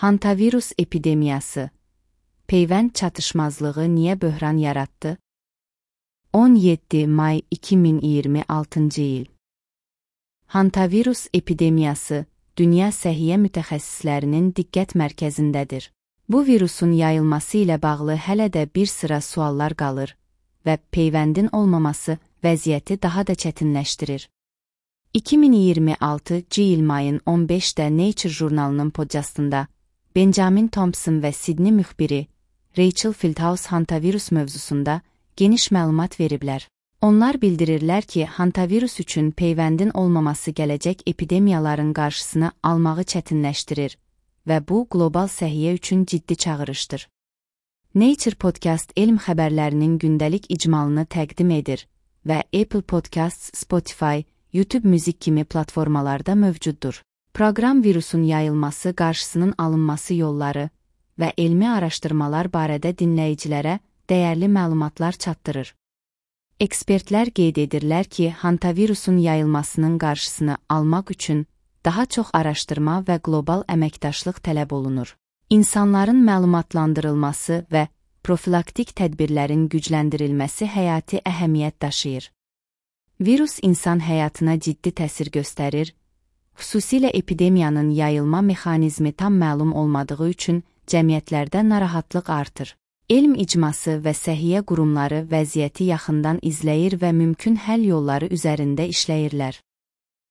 Hantavirus epidemiyası. Peyvənd çatışmazlığı niyə böhran yarattı? 17 may 2026 il. Hantavirus epidemiyası, Dünya Səhiyyə mütəxəssislərinin diqqət mərkəzindədir. Bu virusun yayılması ilə bağlı hələ də bir sıra suallar qalır və peyvəndin olmaması vəziyyəti daha da çətinləşdirir. 2026 il mayın 15-də Nature jurnalının podkastında Benjamin Thompson və Sydney müxbiri Rachel Fieldhouse hantavirus mövzusunda geniş məlumat veriblər. Onlar bildirirlər ki, hantavirus üçün peyvəndin olmaması gələcək epidemiyaların qarşısını almağı çətinləşdirir və bu, qlobal səhiyyə üçün ciddi çağırışdır. Nature Podcast elm xəbərlərinin gündəlik icmalını təqdim edir və Apple Podcasts, Spotify, YouTube müzik kimi platformalarda mövcuddur. Proqram virusun yayılması, qarşısının alınması yolları və elmi araşdırmalar barədə dinləyicilərə dəyərli məlumatlar çatdırır. Ekspertlər qeyd edirlər ki, hantavirusun yayılmasının qarşısını almaq üçün daha çox araşdırma və qlobal əməkdaşlıq tələb olunur. İnsanların məlumatlandırılması və profilaktik tədbirlərin gücləndirilməsi həyati əhəmiyyət daşıyır. Virus insan həyatına ciddi təsir göstərir, xüsusilə epidemiyanın yayılma mexanizmi tam məlum olmadığı üçün cəmiyyətlərdə narahatlıq artır. Elm icması və səhiyyə qurumları vəziyyəti yaxından izləyir və mümkün həll yolları üzərində işləyirlər.